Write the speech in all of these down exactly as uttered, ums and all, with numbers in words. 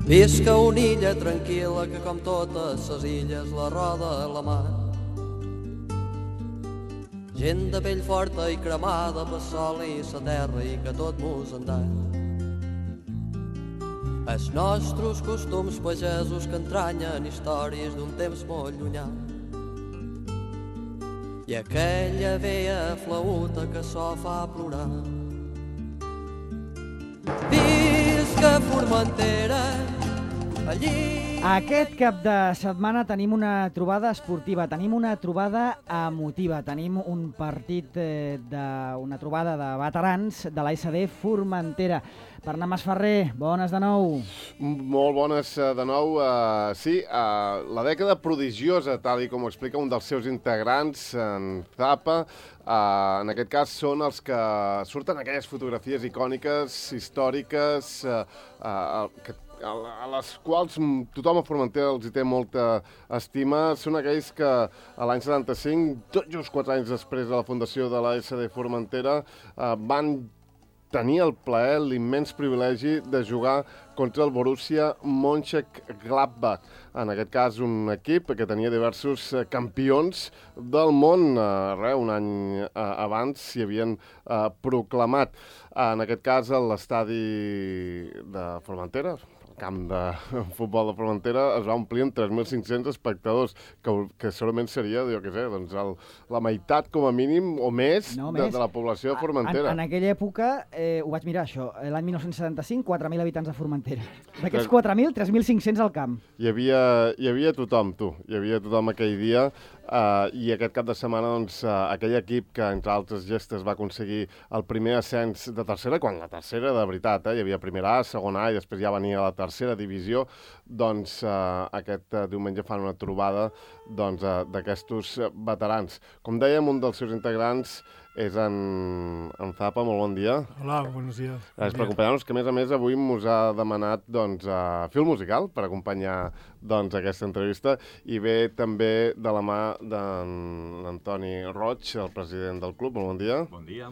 Visca una illa tranquil·la que com totes ses illes la roda la mar. Gent de pell forta i cremada pel sol i la terra i que tot mos en dà. Els nostres costums pagesos que entranyen històries d'un temps molt llunyà. I aquella vella flauta que so fa plorar. Visca Formentera, allí... Aquest cap de setmana tenim una trobada esportiva, tenim una trobada emotiva, tenim un partit, eh, de, una trobada de veterans de l'A S D Formentera. Bernat Masferrer, bones de nou. Molt bones de nou. Uh, sí, uh, la dècada prodigiosa, tal i com ho explica un dels seus integrants, en Zapa, uh, en aquest cas són els que surten aquelles fotografies icòniques, històriques, uh, uh, que a les quals tothom a Formentera els hi té molta estima. Són aquells que a l'any setanta-cinc, tot just quatre anys després de la fundació de l'A S D Formentera, eh, van tenir el plaer, l'immens privilegi de jugar contra el Borussia Mönchengladbach. En aquest cas, un equip que tenia diversos campions del món. Eh, un any eh, abans s'hi havien eh, proclamat. En aquest cas, l'estadi de Formentera, el camp de futbol de Formentera, es va omplir amb tres mil cinc-cents espectadors, que, que segurament seria, jo què sé, doncs el, la meitat com a mínim o més, no, de, més. de la població de Formentera. En, en aquella època, eh, ho vaig mirar això, l'any dinou setanta-cinc, quatre mil habitants a Formentera. D'aquests quatre mil, tres mil cinc-cents al camp. Hi havia, hi havia tothom, tu. Hi havia tothom aquell dia. Uh, I aquest cap de setmana, doncs, uh, aquell equip que, entre altres gestes, va aconseguir el primer ascens de tercera, quan la tercera, de veritat, eh, hi havia primera A, segona A, i després ja venia la tercera divisió, doncs uh, aquest uh, diumenge fan una trobada doncs, uh, d'aquestos veterans. Com dèiem, un dels seus integrants és en, en Zapa. Molt bon dia. Hola, buenos días. Gràcies per acompanyar-nos, que a més a més avui mos ha demanat doncs, uh, fil musical per acompanyar doncs, aquesta entrevista, i ve també de la mà d'Antoni Roig, el president del club. Molt bon dia. Bon dia.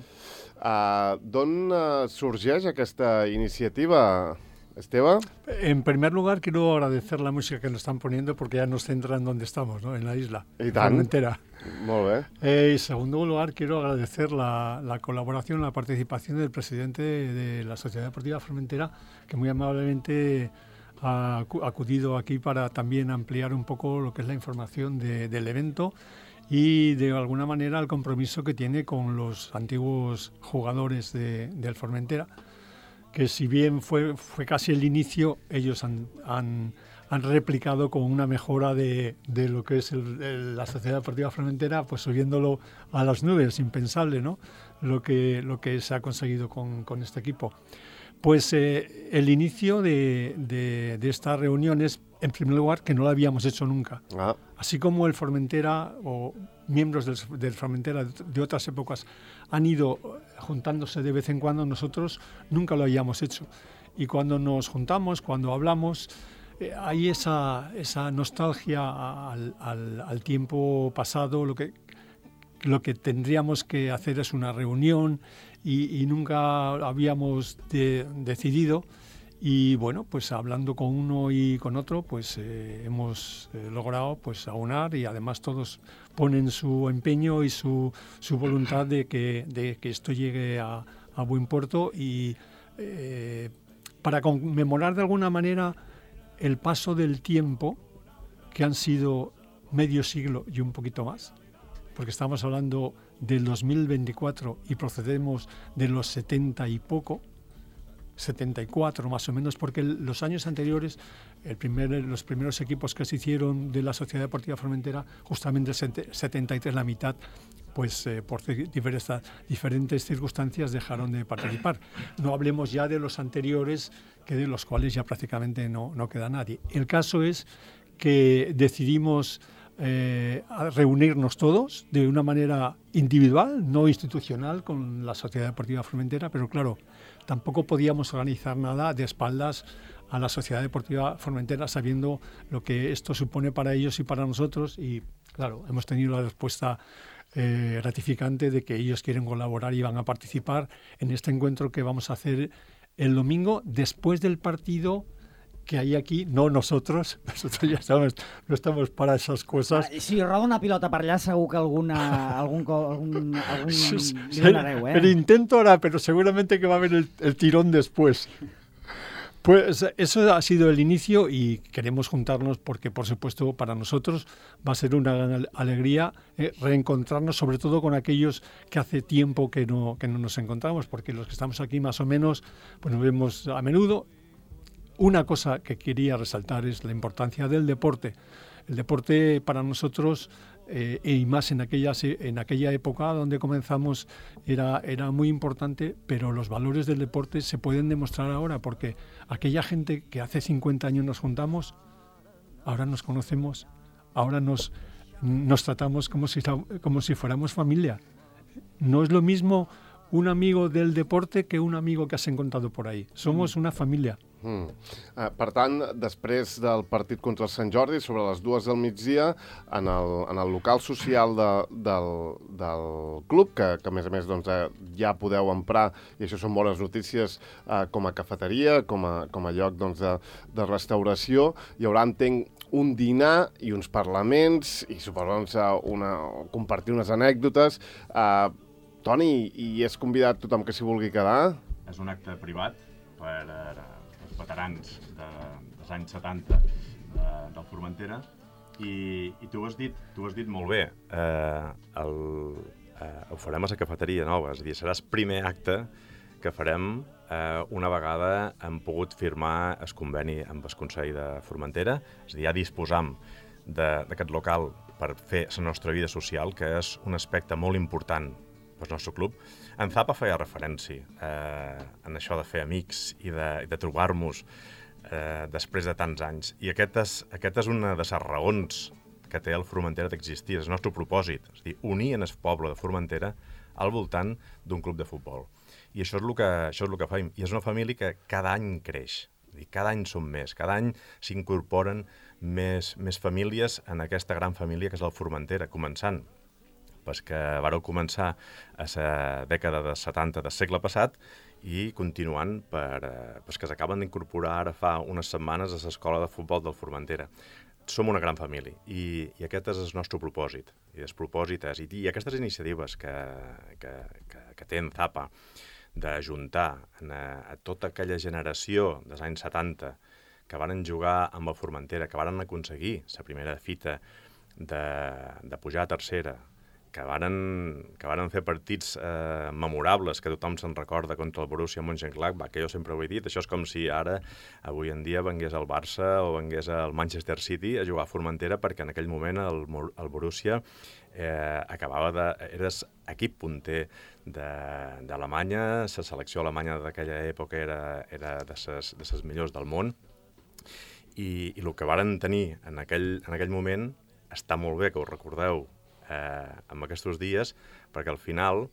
Uh, D'on uh, sorgeix aquesta iniciativa, Esteve? En primer lugar, quiero agradecer la música que nos están poniendo porque ya nos centran donde estamos, ¿no? En la isla. I tant. Formentera. Molt bé. Eh, en segundo lugar, quiero agradecer la, la colaboración, la participación del presidente de la Sociedad Deportiva Formentera, que muy amablemente ha acudido aquí para también ampliar un poco lo que es la información de, del evento y de alguna manera el compromiso que tiene con los antiguos jugadores de, del Formentera, que si bien fue, fue casi el inicio, ellos han, han, han replicado con una mejora de, de lo que es el, el, la Sociedad Deportiva Formentera, pues subiéndolo a las nubes, impensable, ¿no? Lo que, lo que se ha conseguido con, con este equipo. Pues eh, el inicio de, de, de estas reuniones, en primer lugar, que no lo habíamos hecho nunca. Ah. Así como el Formentera o miembros del, del Formentera de otras épocas han ido juntándose de vez en cuando, nosotros nunca lo habíamos hecho. Y cuando nos juntamos, cuando hablamos, eh, hay esa, esa nostalgia al, al, al tiempo pasado. Lo que, lo que tendríamos que hacer es una reunión y, y nunca habíamos de, decidido. Y bueno, pues hablando con uno y con otro, pues eh, hemos eh, logrado pues aunar, y además todos ponen su empeño y su, su voluntad de que, de que esto llegue a, a buen puerto, y eh, para conmemorar de alguna manera el paso del tiempo, que han sido medio siglo y un poquito más, porque estamos hablando del dos mil veinticuatro y procedemos de los setenta y poco, setenta y cuatro más o menos, porque el, los años anteriores, el primer, los primeros equipos que se hicieron de la Sociedad Deportiva Formentera, justamente el setenta y tres, la mitad, pues eh, por diversas, diferentes circunstancias dejaron de participar. No hablemos ya de los anteriores, que de los cuales ya prácticamente no, no queda nadie. El caso es que decidimos eh, reunirnos todos de una manera individual, no institucional, con la Sociedad Deportiva Formentera, pero claro, tampoco podíamos organizar nada de espaldas a la Sociedad Deportiva Formentera, sabiendo lo que esto supone para ellos y para nosotros, y claro, hemos tenido la respuesta eh, gratificante de que ellos quieren colaborar y van a participar en este encuentro que vamos a hacer el domingo después del partido que hay aquí, no nosotros, nosotros ya sabemos, no estamos para esas cosas. Ah, si roda una pilota per allà, segur que alguna, algun, co- algun, algun Sí, li donareu, eh? El intento ahora, pero seguramente que va a haber el, el tirón después. Pues eso ha sido el inicio y queremos juntarnos porque, por supuesto, para nosotros va a ser una gran alegría eh, reencontrarnos, sobre todo con aquellos que hace tiempo que no, que no nos encontramos, porque los que estamos aquí más o menos pues nos vemos a menudo. Una cosa que quería resaltar es la importancia del deporte. El deporte para nosotros, eh, y más en aquella, en aquella época donde comenzamos, era, era muy importante, pero los valores del deporte se pueden demostrar ahora, porque aquella gente que hace cincuenta años nos juntamos, ahora nos conocemos, ahora nos, nos tratamos como si, como si fuéramos familia. No es lo mismo un amigo del deporte que un amigo que has encontrado por ahí. Somos una familia. Mm. Uh, per tant, després del partit contra el Sant Jordi, sobre les dues del migdia, en el, en el local social de, del, del club, que, que a més a més doncs, eh, ja podeu emprar, i això són bones notícies, eh, com a cafeteria, com a, com a lloc doncs, de, de restauració, hi haurà, entenc, un dinar i uns parlaments, i suposo doncs, una, compartir unes anècdotes. Uh, Toni, i és convidat tothom que s'hi vulgui quedar? És un acte privat per uh, els veterans de, dels anys setanta de, del Formentera i, i tu ho has dit, tu ho has dit molt bé. Uh, el, uh, ho farem a la cafeteria nova, és a dir, seràs primer acte que farem uh, una vegada hem pogut firmar el conveni amb el Consell de Formentera, és a dir, ja disposam d'aquest local per fer la nostra vida social, que és un aspecte molt important pel nostre club. En Zapa feia referència eh, en això de fer amics i de, de trobar-nos eh, després de tants anys. I aquest és, aquest és una de les raons que té el Formentera d'existir, és el nostre propòsit, és a dir, unir en el poble de Formentera al voltant d'un club de futbol. I això és el que, això és el que fem. I és una família que cada any creix. És a dir, cada any som més, cada any s'incorporen més, més famílies en aquesta gran família que és el Formentera, començant pues que vareu començar a la dècada de setanta del segle passat i continuant per, pues que s'acaben d'incorporar ara fa unes setmanes a l'escola de futbol del Formentera. Som una gran família i, i aquest és el nostre propòsit. I el propòsit és, i, i aquestes iniciatives que, que, que, que té en Zapa d'ajuntar a, a tota aquella generació dels anys setanta que varen jugar amb el Formentera, que varen aconseguir la primera fita de, de pujar a tercera, que varen, que varen fer partits eh, memorables, que tothom se'n recorda contra el Borussia Mönchengladbach, que jo sempre ho he dit, això és com si ara, avui en dia, vengués el Barça o vengués el Manchester City a jugar a Formentera, perquè en aquell moment el, el Borussia eh, acabava de... Eres equip punter d'Alemanya, la selecció alemanya d'aquella època era, era de ses, de ses millors del món, i, i el que varen tenir en aquell, en aquell moment està molt bé que ho recordeu, Eh, en aquests dies, perquè al final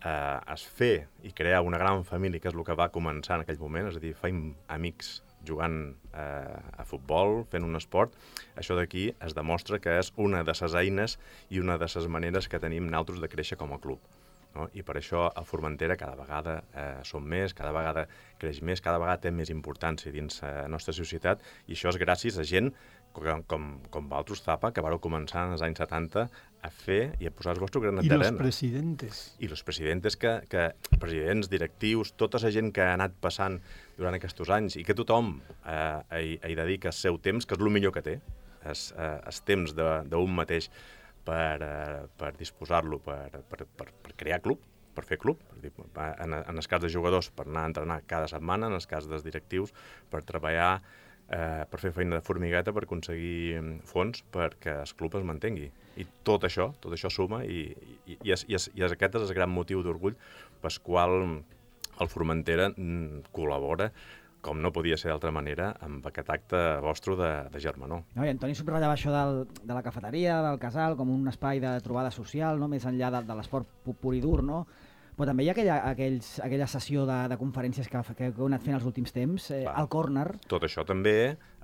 eh, es fer i crear una gran família, que és el que va començar en aquell moment, és a dir, fem amics jugant eh, a futbol, fent un esport, això d'aquí es demostra que és una de les eines i una de les maneres que tenim nosaltres de créixer com a club. No? I per això a Formentera cada vegada eh, som més, cada vegada creix més, cada vegada té més importància dins la nostra societat, i això és gràcies a gent com, com, com vosaltres, Zapa, que vareu començar en els anys setanta a fer i a posar el vostre granet d'arena. I los presidentes. I los presidentes, que, que, presidents, directius, tota la gent que ha anat passant durant aquests anys i que tothom eh, hi, hi dedica el seu temps, que és el millor que té, és eh, el temps d'un mateix per, eh, per disposar-lo, per, per, per, per crear club, per fer club. En, en el cas de jugadors, per anar a entrenar cada setmana, en el cas dels directius, per treballar, eh, per fer feina de formigueta, per aconseguir fons perquè el club es mantengui. I tot això, tot això suma, i, i, i, és, i, és, i és, aquest és el gran motiu d'orgull pel qual el Formentera col·labora, com no podia ser d'altra manera, amb aquest acte vostre de, de germanor. No, i Antoni subratllava això del, de la cafeteria, del casal, com un espai de trobada social, no? Més enllà de, de l'esport pur i dur, no? Però també hi ha aquella, aquells, aquella sessió de, de conferències que, que heu anat fent els últims temps, eh, al Corner. Tot això també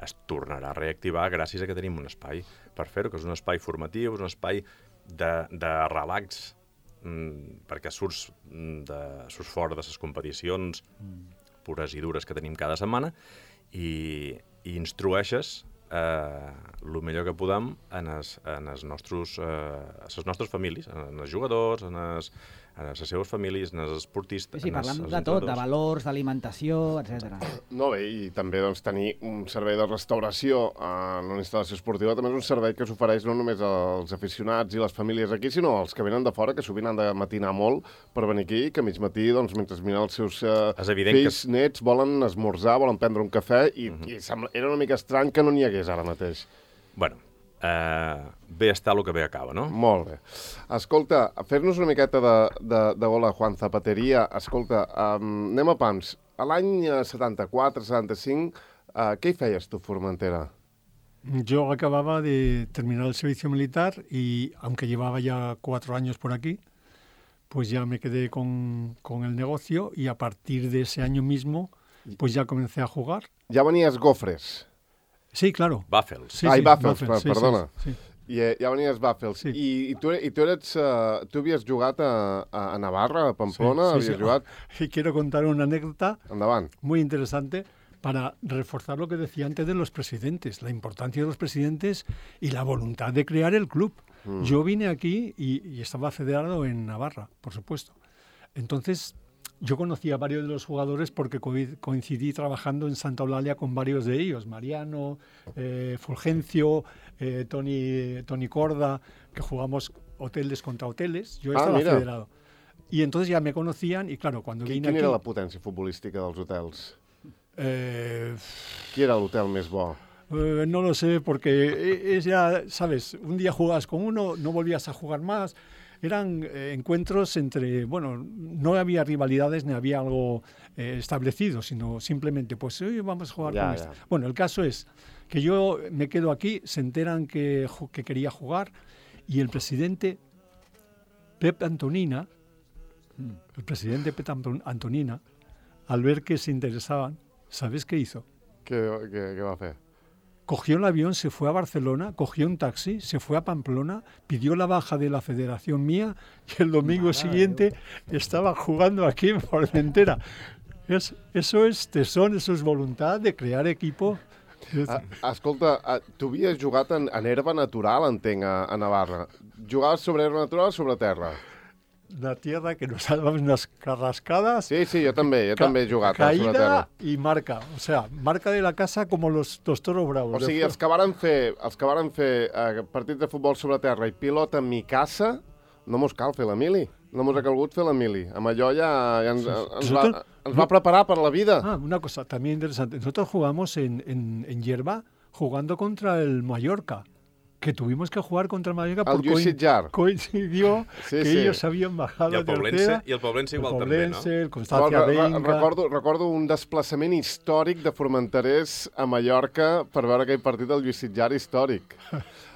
es tornarà a reactivar gràcies a que tenim un espai per fer-ho, que és un espai formatiu, és un espai de, de relax, mmm, perquè surts, de, surts fora de les competicions mm. pures i dures que tenim cada setmana, i, i instrueixes eh, el millor que podem en els, en els nostres, eh, les nostres famílies, en els jugadors, en, els, en les seves famílies, en els esportistes... Sí, sí, parlem de tot, de valors, d'alimentació, etcètera. No, bé, i també doncs, tenir un servei de restauració en una instal·lació esportiva també és un servei que s'ofereix no només als aficionats i les famílies aquí, sinó als que venen de fora, que sovint han de matinar molt per venir aquí, que a mig matí, doncs, mentre miren els seus uh, fills, que... nets, volen esmorzar, volen prendre un cafè, i, uh-huh. i sembla, era una mica estrany que no n'hi hagués ara mateix. Bueno, Uh, bé està el que bé acaba, no? Molt bé. Escolta, fer-nos una miqueta de, de, de gola Juan Zapateria. Escolta, um, anem a pams. A l'any setanta-quatre setanta-cinc, uh, què hi feies tu, Formentera? Yo acababa de terminar el servicio militar y, aunque llevaba ya cuatro años por aquí, pues ya me quedé con, con el negocio y a partir de ese año mismo, pues ya comencé a jugar. Ja venies Gofres. Sí, claro. Bàfels. Sí, Ai, sí, Bàfels, Bàfels, sí, perdona. Sí, sí. I eh, ja venies Bàfels. Sí. I, i, tu, i tu, eres, uh, tu havies jugat a, a Navarra, a Pamplona? Sí, sí, havies sí. jugat? Y quiero contar una anécdota Endavant. muy interesante para reforzar lo que decía antes de los presidentes, la importancia de los presidentes y la voluntad de crear el club. Mm. Yo vine aquí y, y estaba federado en Navarra, por supuesto. Entonces, yo conocí a varios de los jugadores porque co coincidí trabajando en Santa Eulalia con varios de ellos, Mariano, eh, Fulgencio, eh, Tony, Tony Corda, que jugamos hoteles contra hoteles. Yo ah, estaba mira. federado. Y entonces ya me conocían y claro, cuando Qui, vine quina aquí... era la potència futbolística dels hotels? Eh, Qui era l'hotel més bo? Eh, no lo sé, porque es ya, ¿sabes? Un día jugabas con uno, no volvías a jugar más. Eran eh, encuentros entre, bueno, no había rivalidades ni había algo eh, establecido, sino simplemente, pues hoy vamos a jugar ya, con ya. este. Bueno, el caso es que yo me quedo aquí, se enteran que, que quería jugar y el presidente Pep Antonina, el presidente Pep Antonina, al ver que se interesaban, ¿sabes qué hizo? Què, què, què va fer? Cogió el avión, se fue a Barcelona, cogió un taxi, se fue a Pamplona, pidió la baja de la federación mía y el domingo Madre siguiente Dios. Estaba jugando aquí en Formentera. Es, eso es tesón, eso es voluntad de crear equipo. Ah, escolta, ah, tu havies jugat en, en herba natural, entenc, a, a Navarra. Jugaves sobre herba natural o sobre terra? La tierra que nos daban unas carrascadas. Sí, sí, jo també, jo també he jugat caída sobre terra. y marca, o sea, marca de la casa como los, los toros bravos. O sigui, els que varen fer, els que varen fer eh, partits de futbol sobre terra i pilota en mi casa, no mos cal fer la mili. No mos ha calgut fer la mili. Amb allò ja, ja ens, ens, va, ens va preparar per la vida. Ah, una cosa también interesante. Nosotros jugamos en, en, en hierba jugando contra el Mallorca. Que tuvimos que jugar contra el Mallorca el porque coin coincidió sí, que sí. ellos habían bajado I el Poblense, i el Poblense igual el Poblense, també, no? El Constància re, re, recordo, recordo un desplaçament històric de formenterers a Mallorca per veure aquell partit del Lluís Sitjar històric.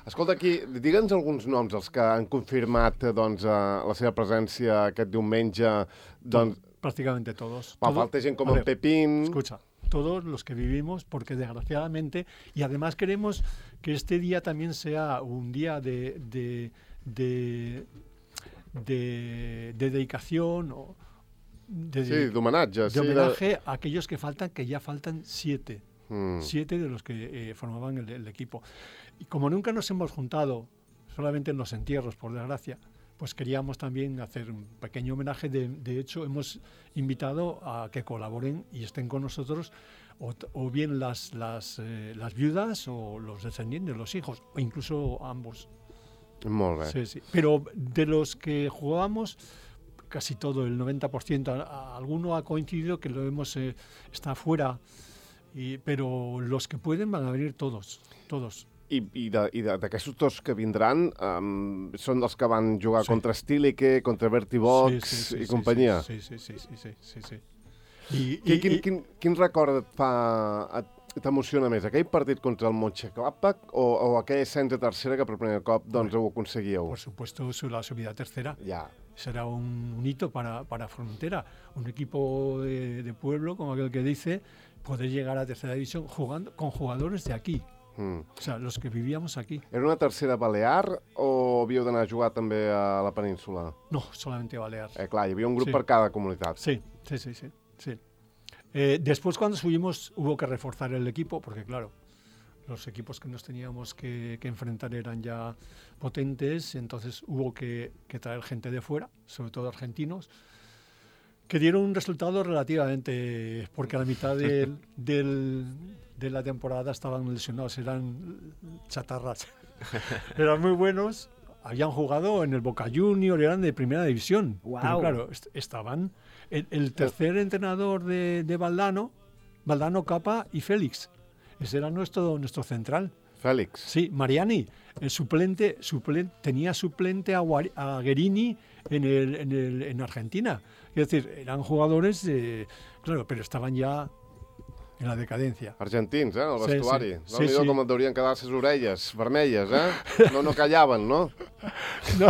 Escolta, aquí, digue'ns alguns noms, els que han confirmat doncs, la seva presència aquest diumenge. Doncs, prácticamente todos. Pa, Todo, falta gent com en Pepín. Escucha. Todos los que vivimos, porque desgraciadamente, y además queremos que este día también sea un día de, de, de, de, de dedicación o de, sí, d'homenatge. De sí, homenaje de... a aquellos que faltan, que ya faltan siete. Mm. Siete de los que eh, formaban el, el equipo. Y como nunca nos hemos juntado, solamente en los entierros, por desgracia, pues queríamos también hacer un pequeño homenaje. De, de hecho, hemos invitado a que colaboren y estén con nosotros o, o bien las, las, eh, las viudas o los descendientes, los hijos, o incluso ambos. Molt bé. Sí, sí. Pero de los que jugábamos, casi todo, el noventa por ciento, alguno ha coincidido que lo hemos eh, está fuera, y, pero los que pueden van a venir todos, todos. I, i d'aquests dos que vindran um, són els que van jugar sí. contra Stilike, contra Vertibox sí, sí, sí, i sí, companyia. Sí, sí, sí, sí, sí, sí, sí. I, I, i, quin, i, quin, quin record et fa, t'emociona més? Aquell partit contra el Mönchengladbach o, o aquell ascens a tercera que per primer cop doncs, ho aconseguíeu? Por supuesto, la subida a tercera. Ja. Será un, un hito para, para Formentera. Un equipo de, de pueblo, como aquel que dice, poder llegar a tercera división jugando con jugadores de aquí. Mm. O sea, los que vivíamos aquí. Era una tercera balear o havíeu d'anar a jugar també a la península? No, solamente balear. Eh, clar, hi havia un grup sí. per cada comunitat. Sí, sí, sí, sí. sí. Eh, después, cuando subimos, hubo que reforzar el equipo, porque claro, los equipos que nos teníamos que, que enfrentar eran ya potentes, entonces hubo que, que traer gente de fuera, sobre todo argentinos, que dieron un resultado relativamente, porque a la mitad del, del, de la temporada estaban lesionados, eran chatarras, eran muy buenos, habían jugado en el Boca Junior, eran de primera división, Wow. pero claro, est- estaban el, el tercer entrenador de, de Valdano, Valdano, Capa y Félix, ese era nuestro, nuestro central. Fèlix. Sí, Mariani, el suplente, suplen- tenía suplente a, Guari- a Guerini en, el, en, el, en Argentina. Es decir, eran jugadores, de, claro, pero estaban ya en la decadencia. Argentins, eh, el Sí, vestuari. sí. Sí, Sí, sí. sí. Com et deurien quedar les orelles vermelles, eh? No, no callaven, no? No,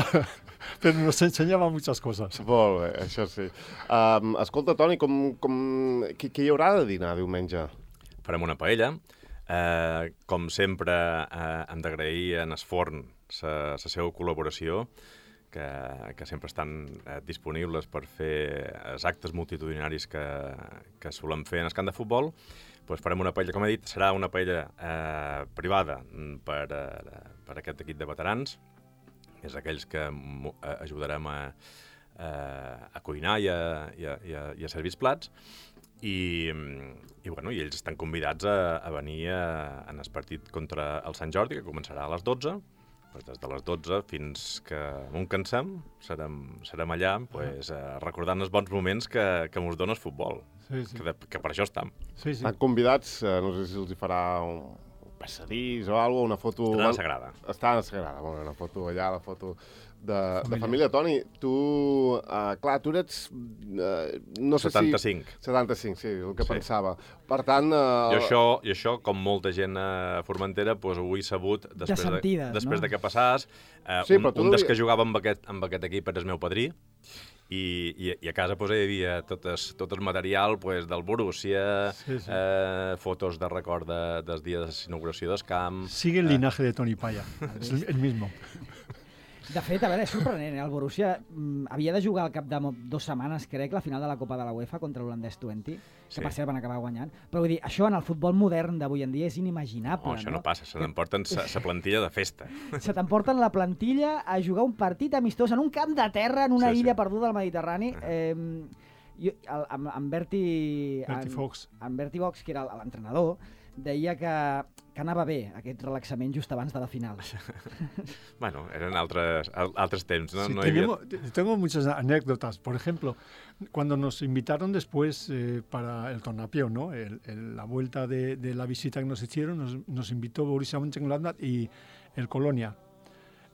pero nos enseñaba muchas cosas. Molt bé, això sí. Um, escolta, Toni, com, com, qui, qui hi haurà de dinar diumenge? Farem una paella. Eh, com sempre, eh, hem d'agrair en Esforn la seva col·laboració, que, que sempre estan eh, disponibles per fer els actes multitudinaris que, que solem fer en el camp de futbol. Pues farem una paella, com he dit, serà una paella eh, privada per, eh, per aquest equip de veterans. És aquells que mo- eh, ajudarem a, eh, a cuinar i a, i a, i a, i a servir els plats. I, i, bueno, i ells estan convidats a, a venir a, en el partit contra el Sant Jordi, que començarà a les dotze. Pues des de les dotze fins que no en cansem, serem, serem allà pues, eh, recordant els bons moments que, que ens dona el futbol, Sí, sí. que, de, que per això estem. Sí, sí. Estan convidats, eh, no sé si els hi farà un passadís o alguna cosa, una foto... Estan a la Sagrada. Està a la Sagrada, bueno, una foto allà, la foto de família. De família. Toni, tu, uh, clar, tu ets... Uh, no sé setanta-cinc. Si... setanta-cinc, sí, el que Sí. pensava. Per tant... Uh, I això, i això, com molta gent a Formentera, pues, ho he sabut després, sentides, de, després no? de que passàs. Eh, Sí, un però tu un no dels li- que jugava amb aquest, amb aquest equip era el meu padrí, i, i, i a casa pues, hi havia tot el, tot el material pues, del Borussia, Sí, sí. Eh, fotos de record de, dels dies d'inauguració del camp. Sigue el linaje de Toni Paya, es el, el mismo. De fet, a veure, és sorprenent, eh? El Borussia mm, havia de jugar al cap de mo- dues setmanes, crec, la final de la Copa de la UEFA contra l'holandès vint, que Sí. per cert van acabar guanyant. Però vull dir, això en el futbol modern d'avui en dia és inimaginable, Oh, això no? no passa, se n'emporten la plantilla de festa. Se t'emporten la plantilla a jugar un partit amistós en un camp de terra en una Sí, sí. illa perduda al Mediterrani. Eh, jo, el, amb, amb Berti... Berti en- Fox. En Berti Fox, que era l'entrenador, deia que, que anava bé aquest relaxament just abans de la final. Bueno, eren altres, al- altres temps, no? Sí, no hi havia... tenemos- te- tengo muchas anécdotas. Por ejemplo, cuando nos invitaron después eh, para el Tornapió, ¿no? El- el- la vuelta de, de la visita que nos hicieron, nos, nos invitó Borussia Mönchengladbach y el Colonia.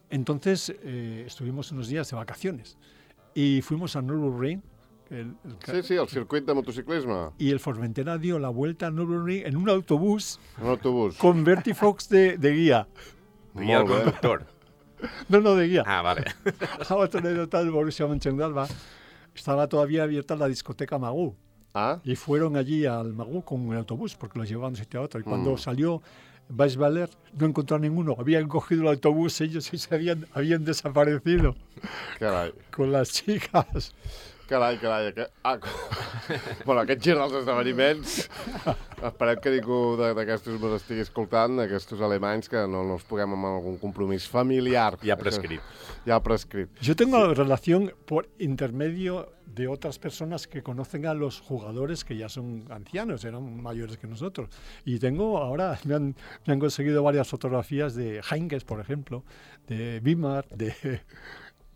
Entonces eh, estuvimos unos días de vacaciones y fuimos a Nürburgring. El, el ca- Sí, sí, el circuit de motociclisme, Y el Formentera dio la vuelta a Nürburgring en un autobús un autobús. con Berti Fox de, de guía. Guia el Molt bé. conductor. No, no, de guía. Ah, vale. Otra anécdota del Borussia Mönchengladbach. Estaba todavía abierta la discoteca Magú. Ah, Y fueron allí al Magú con un autobús porque los llevaban de un sitio a otro. Y cuando Mm. salió Weisweiler no encontraron ninguno. Habían cogido el autobús ellos y se habían, habían desaparecido carai. con las chicas. Carai, carai. Aquest... Ah, bueno, aquest gir dels esdeveniments, esperem que ningú de- d'aquestos me l'estigui escoltant, aquests alemanys, que no, no els puguem amb algun compromís familiar. Ja Això- prescrit. Ja prescrit. Yo tengo relación por intermedio de otras personas que conocen a los jugadores que ya son ancianos, eran mayores que nosotros. Y tengo ahora, me han, me han conseguido varias fotografías de Heinkes, por ejemplo, de Wimar, de,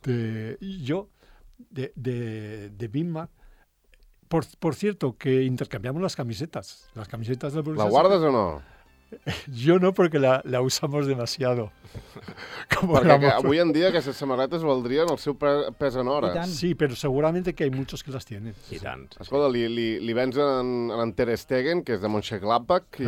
de y yo, de, de, de Wimar. Por, por cierto, que intercambiamos las camisetas. Las camisetas del Borussia. La guardes o no? Yo no, porque la, la usamos demasiado. Como Perquè la que, moto. avui en dia aquestes samarretes valdrien el seu pe- pes en I hores. tant. Sí, pero seguramente que hay muchos que las tienen. I tant. Escolta, li, li, li vens en, en Ter Stegen, que és de Mönchengladbach, i,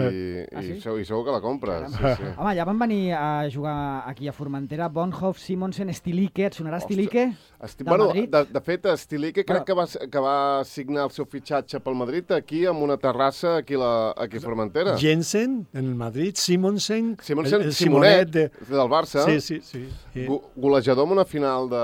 Ah, i, sí? segur, i segur que la compres. Sí, sí. Home, ja van venir a jugar aquí a Formentera Bonhoff, Simonsen, Stilique. Et sonarà Ostres. Stilique? Esti... Del Bueno, Madrid? de, de fet, Stilique crec Bueno. que va, que va signar el seu fitxatge pel Madrid aquí, amb una terrassa aquí, la, aquí a Formentera. Jensen, en el el Madrid, Simonsen, Simonsen, el, el Simonet, de... del Barça. Sí, sí, sí. Eh, Go golejador en una final de,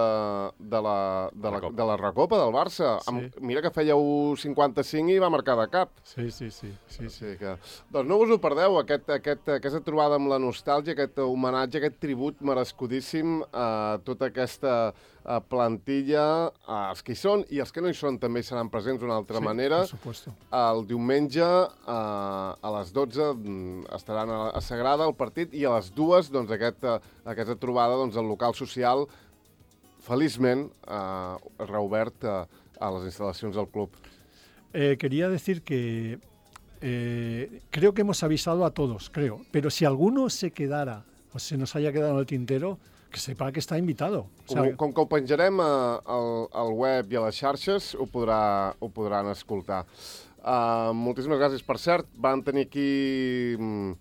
de, la, de, la, Recopa. de la Recopa del Barça. Sí. Amb, mira que feia un cinquanta-cinc i va marcar de cap. Sí, sí, sí. sí, sí. Sí que... Doncs no us ho perdeu, aquest, aquest, aquesta trobada amb la nostàlgia, aquest homenatge, aquest tribut merescudíssim a tota aquesta a plantilla, els que hi són i els que no hi són també seran presents d'una altra Sí, manera. por supuesto. El diumenge a, a les dotze estaran a, a Sagrada el partit i a les dues doncs, aquest, aquesta trobada doncs, al local social feliçment eh, reobert a, a les instal·lacions del club. Eh, quería decir que eh, creo que hemos avisado a todos, creo, pero si alguno se quedara o se nos haya quedado en el tintero, que sepa que està invitado. O sea, Com, com que ho penjarem a, al, al web i a les xarxes, ho, podrà, ho podran escoltar. Uh, moltíssimes gràcies. Per cert, van tenir aquí mm,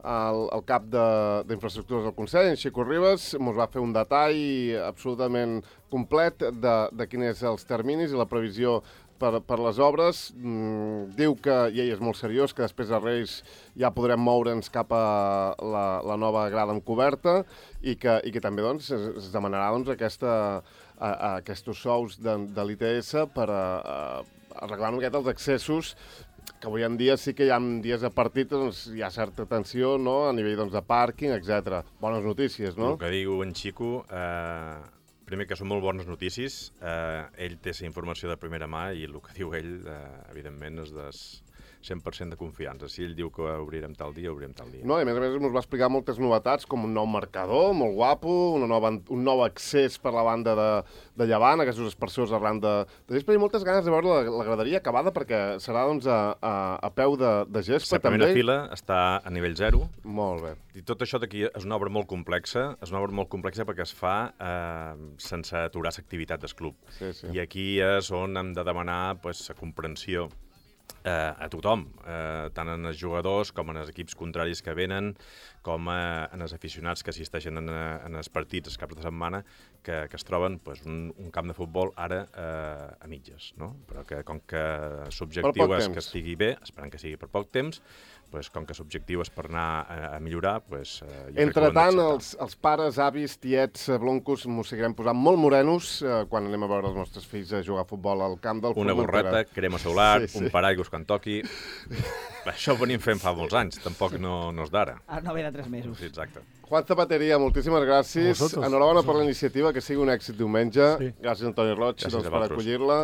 el, el cap d'infraestructures del Consell, en Xico Ribas, ens va fer un detall absolutament complet de, de quins són els terminis i la previsió per, per les obres. Mm, diu que, i ell és molt seriós, que després de Reis ja podrem moure'ns cap a la, la nova grada amb coberta i que, i que també doncs, es, es demanarà doncs, aquesta, a, a aquests sous de, de l'I T S per a, a arreglar una miqueta els accessos que avui en dia sí que hi ha dies de partit, doncs, hi ha certa tensió, no?, a nivell doncs, de pàrquing, etcètera. Bones notícies, no? El que diu en Xico, eh, primer que són molt bones notícies, eh, ell té la informació de primera mà i el que diu ell, eh, evidentment, és de cent per cent de confiança. Si ell diu que obrirem tal dia, obrirem tal dia. No, i a més a més ens va explicar moltes novetats, com un nou marcador, molt guapo, una nova, un nou accés per la banda de, de Llevant, aquests aspersors arran de... de gespa, i moltes ganes de veure la, la graderia acabada, perquè serà doncs, a, a, a peu de, de gespa, La primera també. fila està a nivell zero. Molt bé. I tot això d'aquí és una obra molt complexa, és una obra molt complexa perquè es fa eh, sense aturar l'activitat del club. Sí, sí. I aquí és on hem de demanar pues, la comprensió eh, a tothom, eh, tant en els jugadors com en els equips contraris que venen, com eh, en els aficionats que assisteixen en, en els partits els caps de setmana, que, que es troben pues, un, un camp de futbol ara eh, a mitges, no? Però que com que l'objectiu és temps. que estigui bé, esperant que sigui per poc temps, pues, com que l'objectiu és per anar a, a millorar, pues, eh, jo crec que ho hem Entretant, d'acceptar. els, els pares, avis, tiets, eh, bloncos, m'ho seguirem posant molt morenos eh, quan anem a veure els nostres fills a jugar a futbol al camp del Una Formentera. gorreta, crema solar, Sí, sí. un paraigües quan toqui... Això ho venim fent fa molts anys, tampoc no, no és d'ara. Ah, no ve de tres mesos. Sí, exacte. Juan Zapateria, moltíssimes gràcies. A vosaltres. Enhorabona per la iniciativa, que sigui un èxit diumenge. Sí. Gràcies, Antoni Roig, Gràcies doncs, a per vosaltres. acollir-la.